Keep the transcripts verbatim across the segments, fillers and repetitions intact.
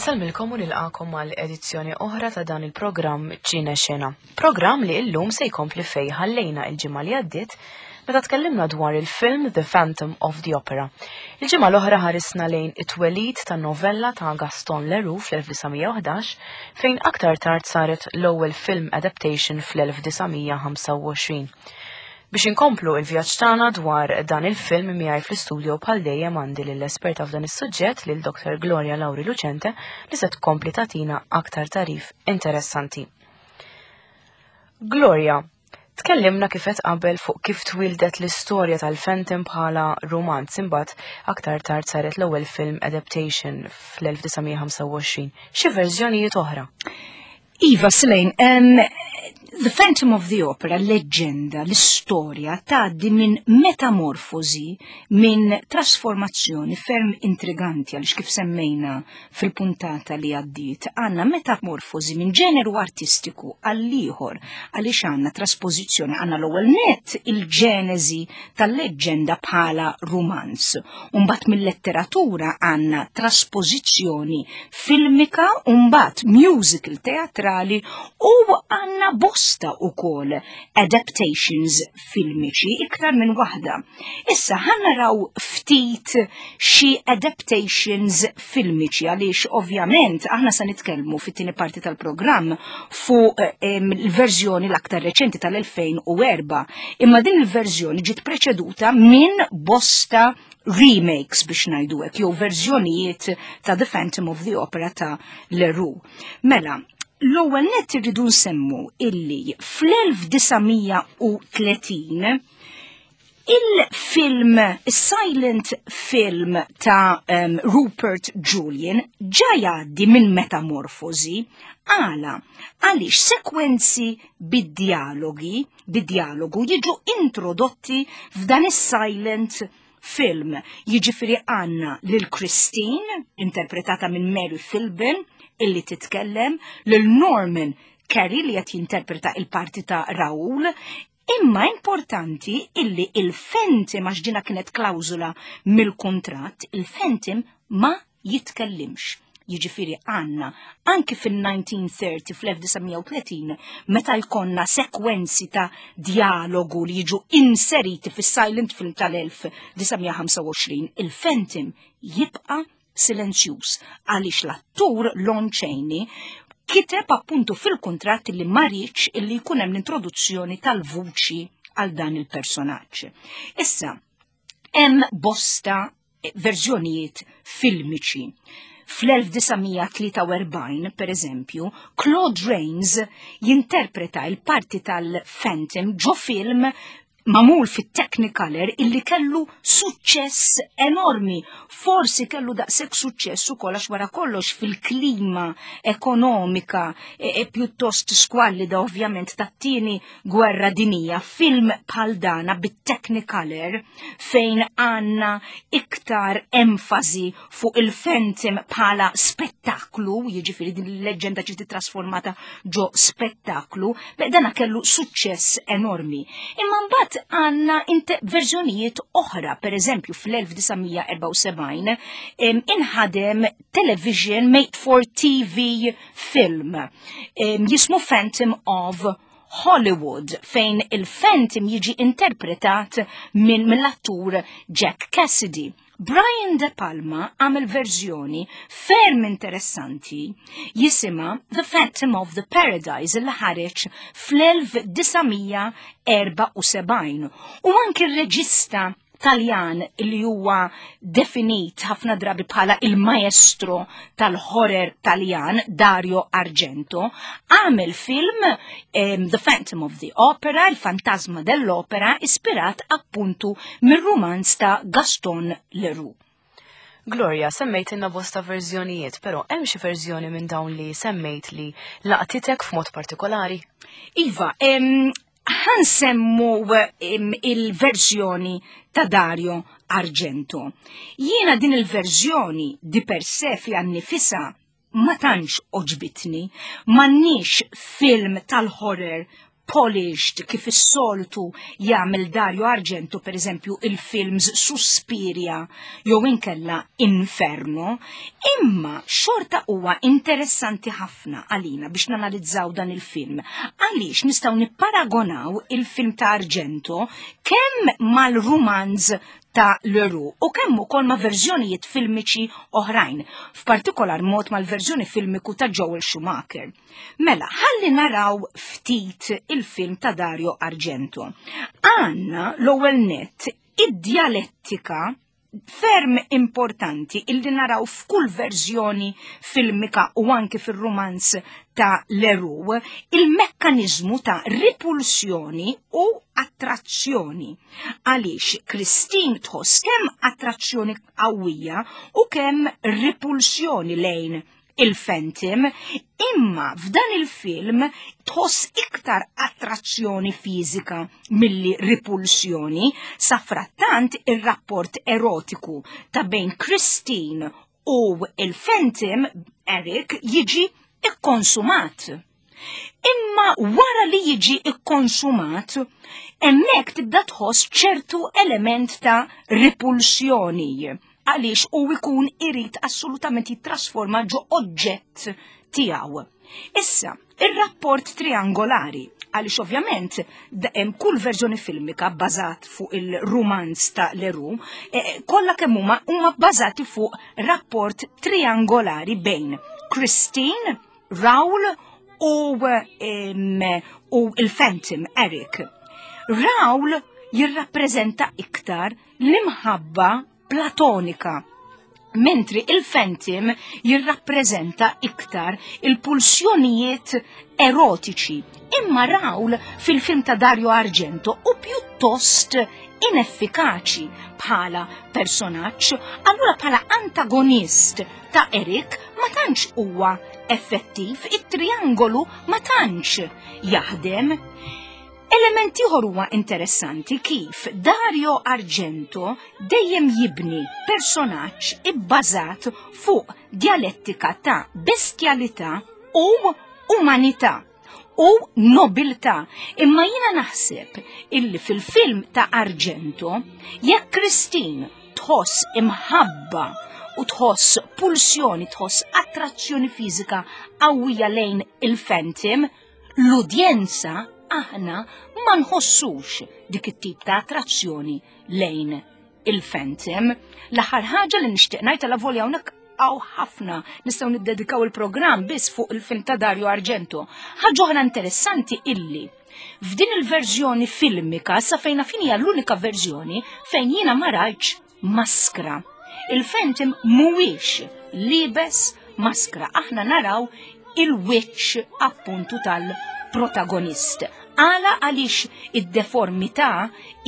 Insellmilkom u nilqagħkom għal edizzjoni oħra ta' dan il-programm Ċine Xena. Programm li illum se jkompli fej ħallejna il-ġimgħa li għaddiet meta tkellimna dwar il-film The Phantom of the Opera. Il-ġimgħa l-oħra ħarisna lejn it-twelid ta' novella ta' Gaston Leroux fl-elf disa' mija u ħdax, fejn aktar tard saret l-ewwel film adaptation fl-elf disa' mija ħamsa u għoxrin. Biex inkomplu il-vjaġġ tagħna dwar dan il-film, miegħi fl-istudio bħal dejjem għandi lill-esperta f'dan is-suġġett, lil Doktor Gloria Lauri Lucente, li se tkompli tagħtina aktar tagħrif interessanti. Gloria, tkellimna kif qed qabel fuq kif twildet l-istorja tal-Phantom bħala romanz, imbagħad aktar tard saret l-ewwel film adaptation fl-elf disa' mija ħamsa u għoxrin. Xi verżjonijiet oħra? Iva, Selene, um, The Phantom of the Opera, leġġenda, l-istorja tgħaddi minn metamorfosi, minn trasformazzjoni ferm intriganti, għaliex kif semmejna fil-puntata li għaddiet, għandna metamorfosi minn ġeneru artistiku għall-ieħor, għaliex għandna traspożizzjoni, għandna l-ewwel net il-ġenezi tal-leġġenda bħala romanz. Umbagħad mill-letteratura għandna traspożizzjoni filmika, umbagħad musical teatrali u għandna bosta ukoll adaptations filmiċi, iktar minn waħda. Issa ħa naraw ftit xi adaptations filmiċi, għaliex ovvjament aħna sa nitkellmu fit-tieni parti tal-programm fuq il-verżjoni l-aktar reċenti tal-elfejn u erbgħa, imma din il-verżjoni ġiet preċeduta minn bosta remakes, biex ngħidu hekk, jew verżjonijiet ta' The Phantom of the Opera ta' Leroux. Mela, l-ewwel net irridu nsemmu illi fl-elf disa' mija u tletin il-film, silent film ta' um, Rupert Julian ġa jgħaddi minn metamorfosi. Għala? Għaliex sekwenzi bid-dialogi, bid-dialogu jiġu introdotti f'dan is-silent film. Jiġifieri għandna lil Christine, interpretata minn Mary Philbin, illi titkellem, lil Norman Kerry li qed jinterpreta il-parti ta' Raoul, imma importanti illi il-Phantom, għax dina kienet klawzula mill-kontrat, il-Phantom ma jitkellimx. Jiġifieri għandna anki fil-elf disa' mija u tletin, fl-elf disa' mija u tletin, meta jkollna sekwenzi ta' dialogu li jiġu inseriti fis-silent film tal-elf disa' mija ħamsa u għoxrin, il-Phantom jibqa' silenzjuż għaliex l-attur Lon Chaney kiteb appuntu fil-kontratt li ma riedx illi jkun hemm l-introduzzjoni tal-vuċi għal dan il-personaġġ. Issa, hemm bosta verżjonijiet filmiċi. Fl-elf disa' mija tlieta u erbgħin, per eżempju, Claude Rains jinterpreta il-parti tal-Phantom ġo film magħmul fit-Technicolor illi kellu suċċess enormi. Forsi kellu daqshekk suċċess ukoll għax wara kollox fil-klima ekonomika e, e pjuttost squallida ovvjament tat-tieni gwerra dinija, film bħal dana bit-Technicolor fejn għandna iktar enfasi fuq il-Phantom bħala spettaklu, jiġifieri din il-leġġenda ġiet trasformata ġo spettaklu, beh, dana kellu suċċess enormi. Imma mbagħad għandna verżjonijiet oħra, per eżempju fl-elf disa' mija erbgħa u sebgħin inħadem television made for T V film jismu Phantom of Hollywood, fejn il-Phantom jiġi interpretat minn mill-attur Jack Cassidy. Brian De Palma għamel verżjoni ferm interessanti jisimha The Phantom of the Paradise li ħareġ fl-elf disa' mija erbgħa u sebgħin, u anki r-reġista Taljan li huwa definit ħafna drabi bħala il-maestro tal-horror Taljan, Dario Argento, għamel film um, The Phantom of the Opera, il-Fantasma dell'Opera, ispirat appuntu mir-romanz ta' Gaston Leroux. Gloria, semmejt inna bosta verżjonijiet, però hemm xi verżjoni minn dawn li semmejt li laqtitek f'mod partikolari? Iva, em, ħa nsemmu il-verżjoni ta' Dario Argento. Jiena din il-verżjoni di per se fiha nnifisha ma tantx għoġbitni, m'għandniex film tal-horror polished kif is-soltu jagħmel Dario Argento, per eżempju il-films Suspiria jew inkella Inferno, imma xorta huwa interessanti ħafna għalina biex nanalizzaw dan il-film. Għaliex nistgħu nipparagonaw il-film ta' Argento kemm mal-rumanz ta' Leroux u kemm ukoll ma' verżjonijiet filmiċi oħrajn, f'partikolar mod mal-verżjoni filmiku ta' Joel Schumacher. Mela, ħalli naraw ftit il-film ta' Dario Argento. Għanna l-ewwel net id-djalettika ferm importanti illi naraw f'kull verżjoni filmika u anki fil-romanz ta' Leroux, il-mekkanizmu ta' ripulsjoni u attrazzjoni. Għaliex Christine tħoss kemm attrazzjoni qawwija u kemm ripulsjoni lejn il-Phantom, imma f'dan il-film tħoss iktar attrazzjoni fiżika milli ripulsjoni, safrattant ir-rapport erotiku ta' bejn Christine u il-Phantom Eric jiġi ikkonsumat. Imma wara li jiġi ikkonsumat, hemmhekk tibda tħoss ċertu element ta' ripulsjoni għaliex u jkun irid assolutament jittrasforma ġo oġġett tiegħu. Issa, ir-rapport triangolari, għaliex ovvjament hemm kull verżjoni filmika bbażat fuq il-rumanz ta' Leroux, eh, kollha kemm huma huma bbażati fuq rapport triangolari bejn Christine, Raoul u, em, u il-Phantom Eric. Raoul jirrappreżenta iktar l-imħabba platonika, mentri il-Phantom jirrappreżenta iktar il-pulsjonijiet erotiċi. Imma Raoul fil-film ta' Dario Argento u pjuttost ineffikaċi bħala personaġġ, allura bħala antagonist ta' Eric ma tantx huwa effettiv, it-triangolu ma tantx jaħdem. Element ieħor huwa interessanti kif Dario Argento dejjem jibni personaġġ ibbażat fuq dialettika ta' bestjalità u umanità u nobiltà. Imma jiena naħseb illi fil-film ta' Argento jekk Christine tħoss imħabba u tħoss pulsjoni, tħoss attrazzjoni fiżika qawwija lejn il-Phantom, l-udjenza aħna ma nħossux dik it-tip ta' attrazzjoni lejn il-Phantom. L-aħħar ħaġa li nixtieq ngħid għal volja hawnhekk hawn ħafna nistgħu niddedikaw il-programm biss fuq il-film ta' Dario Argento. Ħaġa oħra interessanti illi f'din il-verżjoni filmika sa fejna fin hija l-unika verżjoni fejn jiena ma rajtx maskra. Il-Phantom mhuwiex liebes maskra, aħna naraw il-wiċċ appuntu tal-protagonist. Għala għaliex id-deformità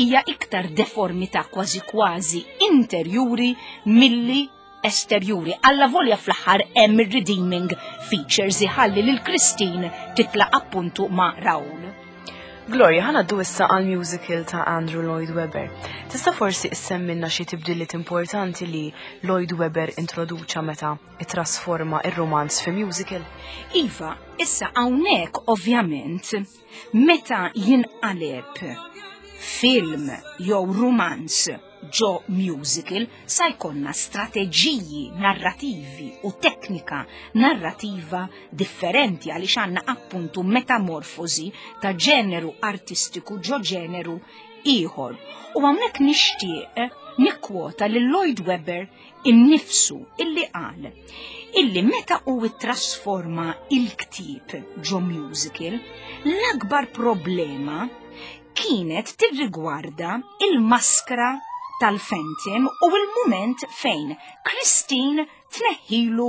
hija iktar deformità kważi kważi interjuri milli esterjuri. Alla volja fl-aħħar hemm ir-redeeming features iħalli lil Christine titla' appuntu ma' Raoul. Gloria, ħa ngħaddu issa għal musical ta' Andrew Lloyd Webber. Tista' forsi issemmilna xi tibdiliet importanti li Lloyd Webber introduċa meta ittrasforma ir-romanz fi musical? Iva, issa hawnhekk ovvjament meta jinqaleb film jew romanz ġo musical sa jkollna strateġiji narrativi u teknika narrativa differenti għaliex għandna appuntu metamorfosi ta' ġeneru artistiku ġo ġeneru ieħor. U hawnhekk nixtieq nikkwota lil Lloyd Webber innifsu illi qal illi meta u trasforma il-ktib ġo musical, l-akbar problema kienet tirrigwarda il-maskra tal-Phantom u il-moment fejn Christine tneħħilu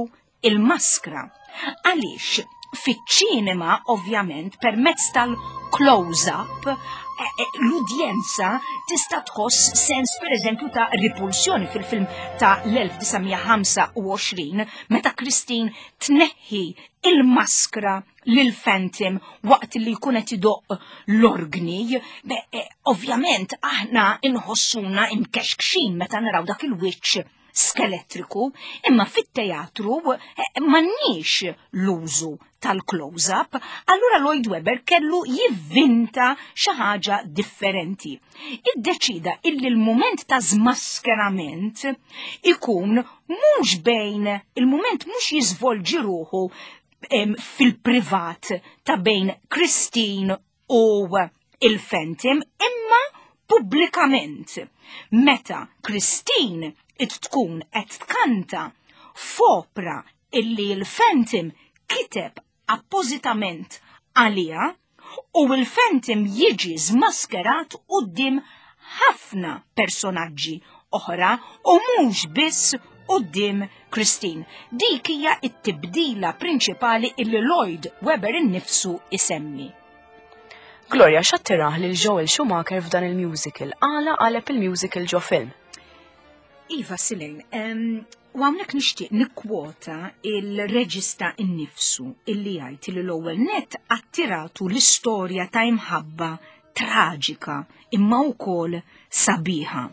il-maskra. Għaliex fiċ-ċinema ovvjament permezz tal-close-up l-udjenza tista' tħoss sens per eżempju ta' ripulsjoni fil-film ta' l-elf disa' mija ħamsa u għoxrin meta Christine tneħħi il-maskra lil Phantom waqt li jkun qed idoqq l-organi. Beh, eh, ovvjament aħna inħossuna imkexkxin meta naraw dak il-wiċċ skeletriku, imma fit-teatru eh, m'għandniex l-użu tal-close-up, allura Lloyd Webber kellu jivvinta xi ħaġa differenti. Iddeċida illi l-moment ta' zmaskerament ikun mhux bejn il-moment mhux jiżvolġi ruħu fil-privat ta' bejn Christine u il-Phantom, imma pubblikament. Meta Christine tkun qed tkanta f'opra illi l-Phantom kiteb appożitament għalija u l-Phantom jiġi zmaskerat quddiem ħafna personaġġi oħra u mhux biss quddiem Christine. Dik hija t-tibdila prinċipali illi Lloyd Webber innifsu isemmi. Gloria, x'attirah lil Joel Schumacher f'dan il-musical? Għala qaleb il-musical ġo film? Iva, Silejn, u hawnhekk nixtieq nikkwota il-reġista innifsu illi jgħid li l-ewwel net attiratu l-istorja ta' imħabba traġika imma wkoll sabiħa,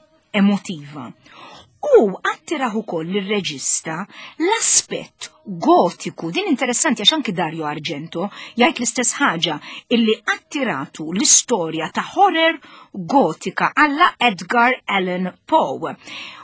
emotiva. U attirah ukoll lir-reġista l-aspett gotiku. Din interessanti għax anki Dario Argento jgħid l-istess ħaġa, illi attiratu l-istorja ta' horror gotika alla Edgar Allan Poe.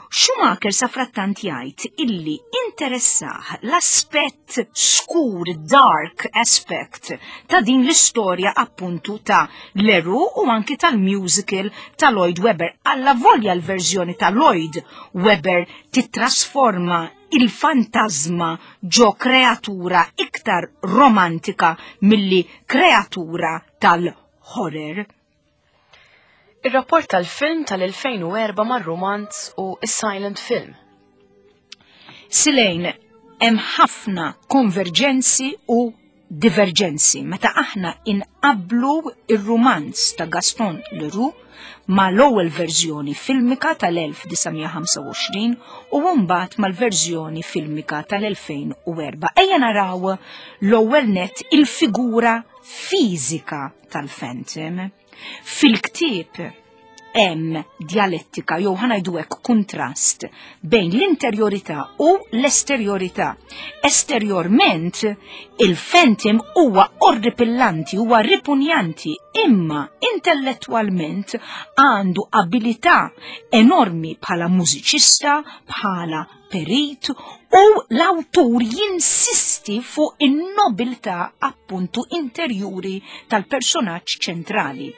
Schumacher safrattant jgħid illi interessah l-aspett skur, dark aspect ta' din l-istorja appuntu ta' Leroux u anki tal-musical ta' Lloyd Webber. Alla volja l-verżjoni ta' Lloyd Webber titrasforma il-fantasma ġo kreatura iktar romantika milli kreatura tal-horror. Ir-rapport tal-film tal-elfejn u erbgħa mar-romanz u is-silent film. Silejn, hemm ħafna konverġenzi u diverġenzi meta aħna inqablu ir-romanz ta' Gaston Leroux ma l-ewwel verżjoni filmika tal-elf disa' mija ħamsa u għoxrin u mbagħad mal-verżjoni filmika tal-elfejn u erbgħa. Ejja naraw l-ewwel net il-figura fiżika tal-Phantom. Fil-ktieb hemm dialettika jew ħa ngħidu hekk kuntrast bejn l-interjorità u l-esterjorità. Esterjorment il-Phantom huwa orripillanti, huwa ripunjanti, imma intellettwalment għandu abilità enormi bħala mużiċista, bħala perit, u l-awtur jinsisti fuq in-nobiltà appuntu interjuri tal-personaġġ ċentrali.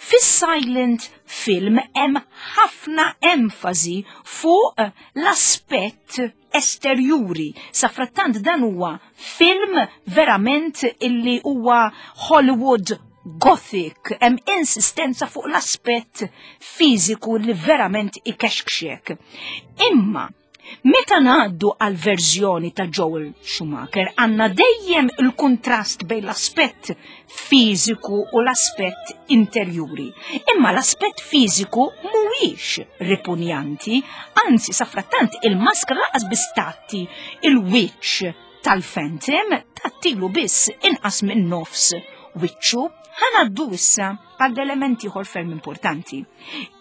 Fis-silent film hemm ħafna enfasi fuq l-aspett esterjuri. Safrattant dan huwa film verament illi huwa Hollywood Gothic, hemm insistenza fuq l-aspett fiżiku li verament ikexkxek. Imma meta ngħaddu għal verżjoni ta' Joel Schumacher, għandna dejjem il-kontrast bejn l-aspett fiżiku u l-aspett interjuri. Imma l-aspett fiżiku mhuwiex ripunjanti, anzi safrattant il-maskra laqas biss tgħatti il-wiċċ tal-Phantom, tgħattilu biss inqas minn nofs wiċċu. Ħa ngħaddu issa għal elementi ieħor ferm importanti.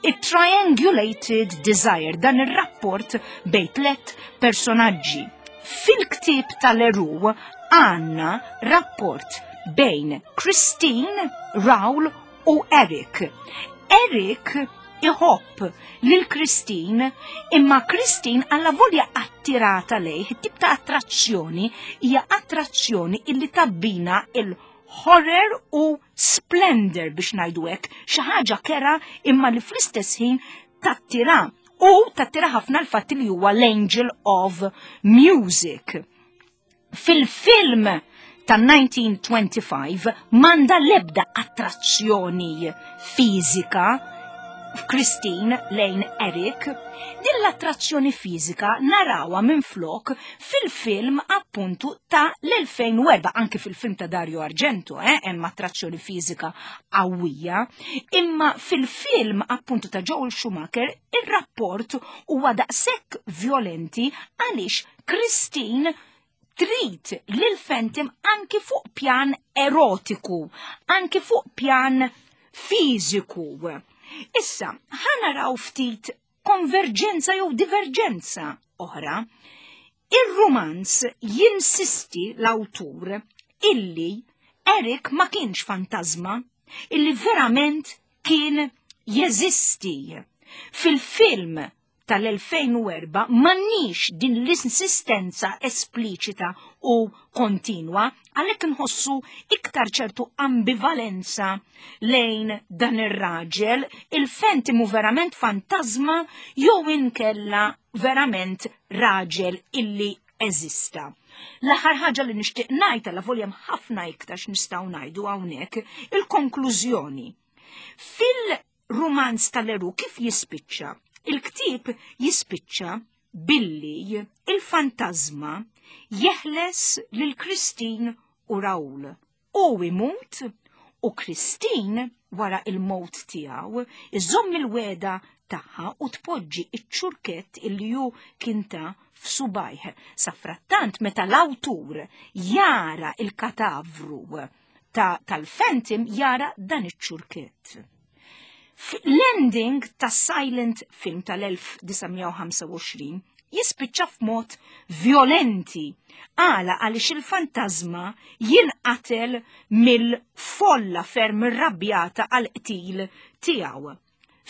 Il-triangulated desire, dan ir-rapport bejn tlet personaġġi. Fil-ktieb tal-Leroux għandna rapport bejn Christine, Raoul u Eric. Eric iħobb lil Christine, imma Christine alla volja attirata lejh, tip ta' attrazzjoni hija attrazzjoni illi tabbina il- horror u splendor, biex ngħidu hekk, xi ħaġa kerha imma li fl-istess ħin tattira, u tattira ħafna l-fatt li huwa l-Angel of Music. Fil-film ta' elf disa' mija ħamsa u għoxrin m'għandha lebda attrazzjoni fiżika Christine lejn Eric. Din l-attrazzjoni fiżika narawha minn flok fil-film appuntu ta' l-elfejn u erbgħa, anki fil-film ta' Dario Argento, eh, hemm attrazzjoni fiżika qawwija, imma fil-film appuntu ta' Joel Schumacher ir-rapport huwa daqshekk violenti għaliex Christine trid lil Phantom anki fuq pjan erotiku, anki fuq pjan fiżiku. Issa, ħa naraw ftit konverġenza jew diverġenza oħra. Ir-rumanz jinsisti l-awtur illi Eric ma kienx fantażma, illi verament kien jeżisti. Fil-film tal-elfejn u erbgħa m'għandniex din l-insistenza espliċita u kontinwa, għalhekk nħossu iktar ċertu ambivalenza lejn dan ir-raġel, il-Phantom hu verament fantasma jew inkella verament raġel illi eżista. L-aħħar ħaġa li nixtieq ngħid, għalavolja hemm ħafna iktar x'nistgħu ngħidu hawnhekk, il-konklużjoni. Fil-rumanz ta' Leroux kif jispiċċa? Il-ktieb jispiċċa billi il-fantasma jeħles lil Christine u Raoul. U imut u Christine wara il-mowt tiegħu iżomm il-wegħda tagħha u tpoġġi iċ-ċurkett illi hu kien ta f'subajh. Safrattant meta l-awtur jara il-katavru ta' tal-Phantom jara dan iċ-ċurkett. L-ending ta' silent film tal-elf disa' mija u ħamsa u għoxrin jispiċċa f'mod violenti. Għala? Għaliex il-fantasma jinqatel mill-folla ferm irrabjata għal qtil tiegħu.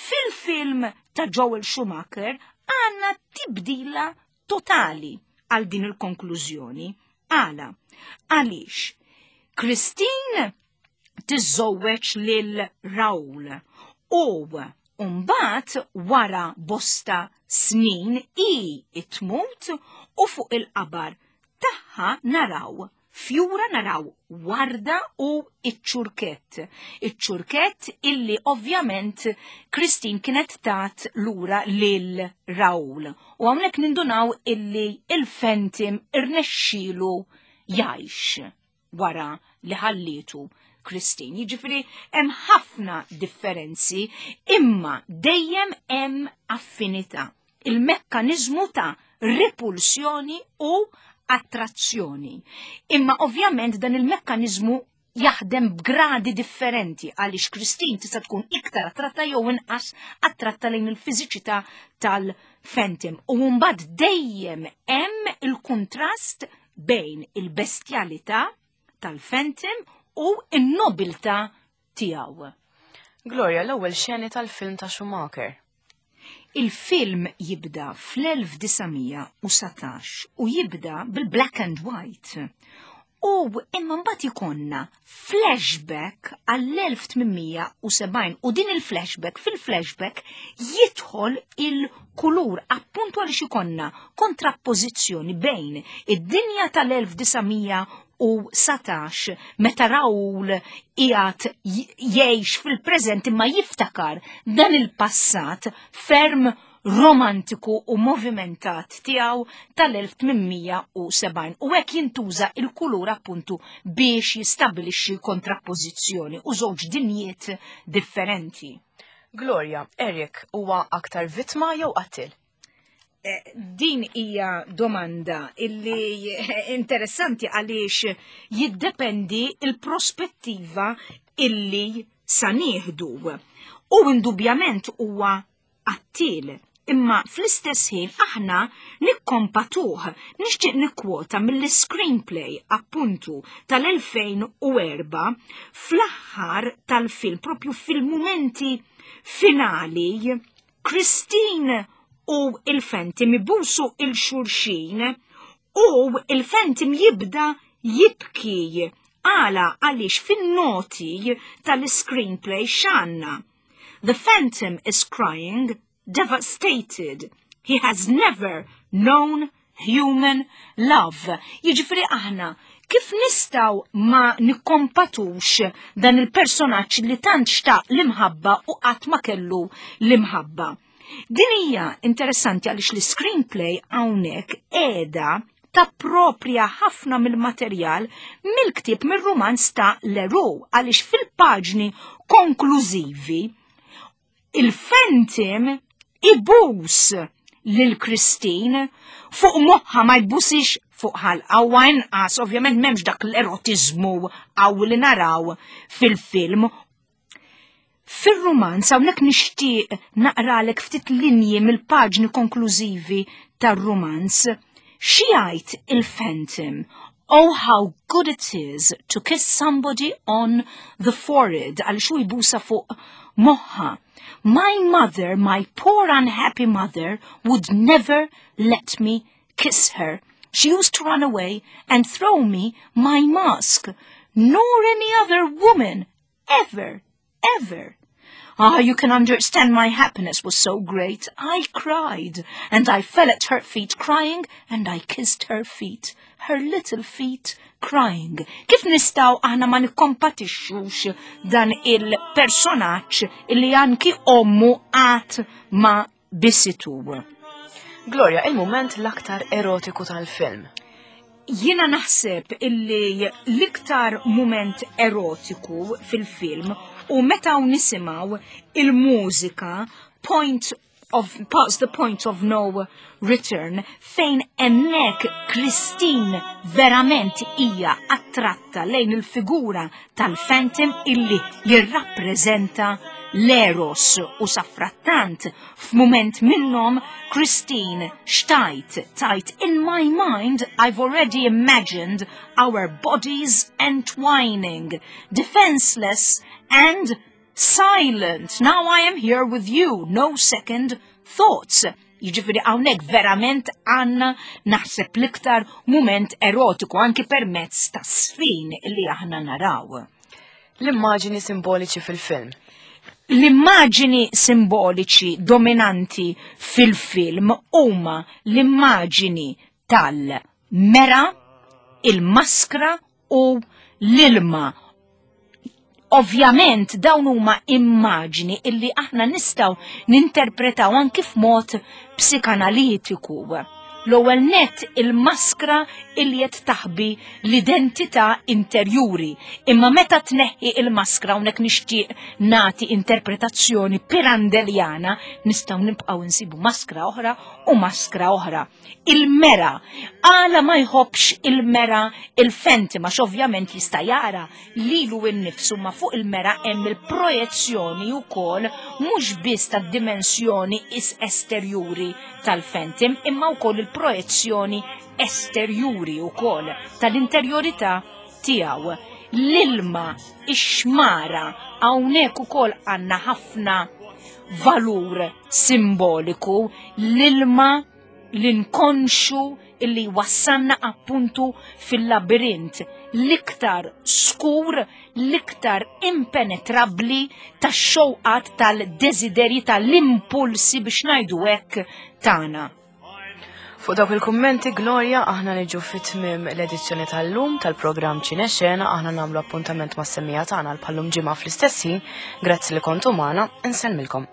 Fil-film ta' Joel Schumacher għandna tibdila totali għal din il-konklużjoni. Għala? Għaliex Christine tiżżewweġ lil Raoul u mbagħad wara bosta snin i tmut u fuq il-qabar tagħha naraw fjura, naraw warda u iċ-ċurkett. Iċ-ċurkett illi ovvjament Christine kienet tat lura lil Raoul. U hawnhekk nindunaw illi il-Phantom irnexxielu jgħix wara li ħallietu Christine. Jiġifieri hemm ħafna differenzi, imma dejjem hemm affinità. Il-mekkaniżmu ta' repulsjoni u attrazzjoni. Imma ovvjament dan il-mekkaniżmu jaħdem b'gradi differenti, għaliex Christine tista' tkun iktar attratta jew inqas attratta lejn il-fiżiċità tal-Phantom. U mbagħad dejjem hemm il-kontrast bejn il-bestjalità tal-Phantom u n-nobiltà tiegħu. Gloria, l-ewwel xeni tal-film ta' Schumacher. Il-film jibda fl-elf disa' mija u satax u jibda bil-black and white. U imma mbagħad ikollna flashback għall-elf tmien mija u sebgħin u din il-flashback, fil-flashback jidħol il-kulur, appuntu għaliex ikollna kontrappożizzjoni bejn id-dinja tal-elf disa' mija u satax meta Raoul qiegħed jgħix fil-preżent imma jiftakar dan il-passat ferm romantiku u movimentat tiegħu tal-elf tmien mija u sebgħin, u hekk jintuża il-kulur appuntu biex jistabilixxi kontrappożizzjoni u żewġ dinjiet differenti. Gloria, Eric huwa aktar vittma jew qattil? Eh, din hija domanda illi interessanti, għaliex jiddependi il-prospettiva illi sa nieħdu. U indubjament huwa qattil, imma fl-istess ħin aħna nikkompatuh. Nixtieq nikkwota mill-screenplay appuntu tal-elfejn u erbgħa, fl-aħħar tal-film, propju fil-mumenti finali, Christine u il-Phantom ibusu 'l xulxin u il-Phantom jibda jibki. Għala? Għaliex fin-noti tal-screenplay x'għandna? "The Phantom is crying, devastated. He has never known human love." Jiġifieri aħna kif nistgħu ma nikkompatux dan il-personaġġ li tant xtaq l-imħabba u qatt ma kellu l-imħabba? Din hija interessanti għaliex l-screenplay hawnhekk qiegħda tappropja ħafna mill-materjal mill-ktieb, mir-rumanz ta' Leroux, għaliex fil-paġni konklużivi il-Phantom ibus lil Christine fuq moħħa, ma jbusix fuq ħalqa u inqas ovvjament m'hemmx dak l-erotizmu għaw li naraw fil-film. Fir-rumanz hawnhekk nixtieq naqralek ftit linji mill-paġni konklużivi tar-rumanz. Xi jgħid il-Phantom? "Oh, how good it is to kiss somebody on the forehead," għal xu jbusa fuq moħħha. "My mother, my poor unhappy mother, would never let me kiss her. She used to run away and throw me my mask, nor any other woman ever, ever. Ah, you can understand my happiness was so great. I cried, and I fell at her feet crying, and I kissed her feet, her little feet, crying." Kif nistgħu aħna ma nikkompatixxux dan il-personaġġ illi anki ommu qatt ma bisitu? Gloria, il-moment l-aktar erotiku tal-film. Jiena naħseb illi l-iktar moment erotiku fil-film u meta nisimgħu il-mużika Point of Past the Point of No Return, fejn hemmhekk Christine verament hija attratta lejn il-figura tal-Phantom illi jirrappreżenta l-Eros, u sadanittant f'mument minnhom Christine x'tgħid? Tgħid, "In my mind I've already imagined our bodies entwining, defenseless and silent. Now I am here with you, no second thoughts." Jiġifieri hawnhekk verament għandna naħseb l-iktar moment erotiku anki permezz ta' sfin li aħna naraw. L-immaġini simboliċi fil-film. L-immaġini simboliċi dominanti fil-film huma l-immaġini tal-mera, il-maskra u l-ilma. Ovvjament dawn huma immaġni illi aħna nistgħu ninterpretaw anki f'mod psikanalitiku. L-ewwel net il-maskra illi qed taħbi l-identità interjuri. Imma meta tneħħi il-maskra, hawnhekk nixtieq nagħti interpretazzjoni pirandelliana, nistgħu nibqgħu nsibu maskra oħra u maskra oħra. Il-mera, għala ma jħobbx il-mera il-Phantom? Għax ovvjament jista' jara lilu innifsu, ma fuq il-mera hemm il-projezzjoni wkoll mhux biss tad-dimensjoni is esterjuri tal-Phantom, imma wkoll il-projezzjoni esterjuri wkoll tal-interjorità tiegħu. L-ilma, ix-xmara, hawnhekk ukoll għandna ħafna valur simboliku, l-ilma, l-inkonxu illi wassanna appuntu fil-labirint l-iktar skur, l-iktar impenetrabli tax-xewqat, tal-desideri, tal-impulsi, biex ngħidu hekk, tagħna. Fuq dawk il-kummenti, Gloria, aħna niġu fit-tmim l-edizzjoni tal-lum tal-programm Ċinexena. Aħna nagħmlu appuntament mas-semmiegħa tagħna għal bħal-lum ġimgħa fl-istess ħin. Grazzi li kontu magħna, insellmilkom.